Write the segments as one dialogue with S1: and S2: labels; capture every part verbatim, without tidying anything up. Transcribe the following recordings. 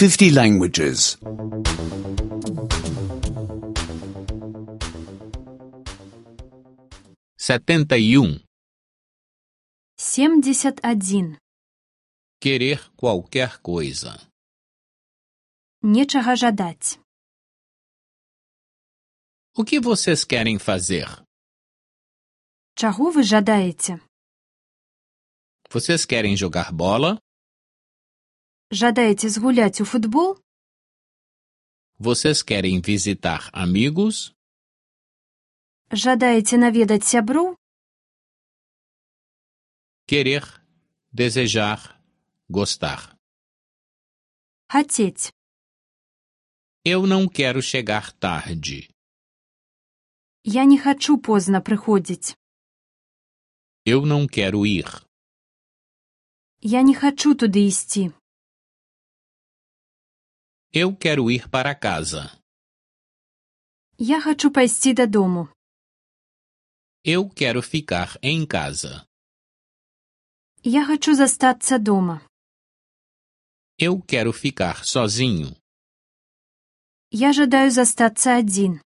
S1: fifty languages.
S2: Setenta e um.
S3: Семьдесят один.
S2: Querer qualquer coisa.
S3: Нечага жадаць.
S2: O que vocês querem fazer?
S3: Чаго вы жадаеце?
S2: Vocês querem jogar bola?
S3: Жадаеце згуляць у футбол?
S2: Vocês querem visitar amigos?
S3: Жадаеце наведаць сяброў?
S2: Querer, desejar, gostar.
S3: Хацець.
S2: Eu não quero chegar tarde.
S3: Я не хачу позна прыходзіць.
S2: Eu não quero ir.
S3: Я не хачу туды ісці.
S2: Eu quero ir para casa.
S3: Я хачу пайсці дадому.
S2: Eu quero ficar em casa.
S3: Я хачу застацца дома.
S2: Eu quero ficar sozinho.
S3: Я жадаю застацца адзін.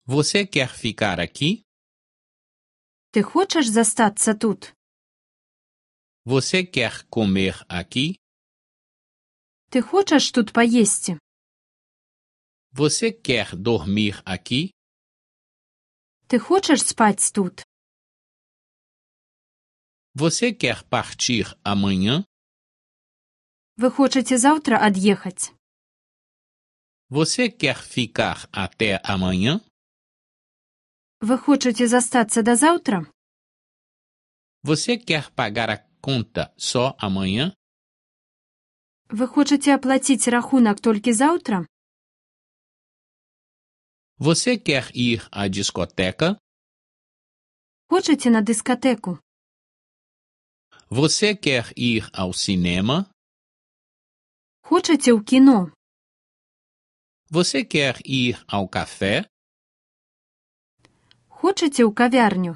S2: Você quer ficar aqui?
S3: Ты хочаш застацца тут?
S2: Você quer comer aqui?
S3: Ты хочаш тут паесці?
S2: Você quer dormir aqui?
S3: Ты хочаш спаць тут?
S2: Você quer partir amanhã?
S3: Вы хочаце заўтра ад'ехаць?
S2: Você quer ficar até amanhã?
S3: Вы хочаце застацца да заўтра?
S2: Você quer pagar a conta só amanhã?
S3: Вы хочаце аплаціць рахунак толькі заўтра?
S2: Você quer ir à discoteca?
S3: Хочаце на дыскатэку?
S2: Você quer ir ao cinema?
S3: Хочаце ў кіно?
S2: Você quer ir ao café?
S3: Хочаце ў кавярню?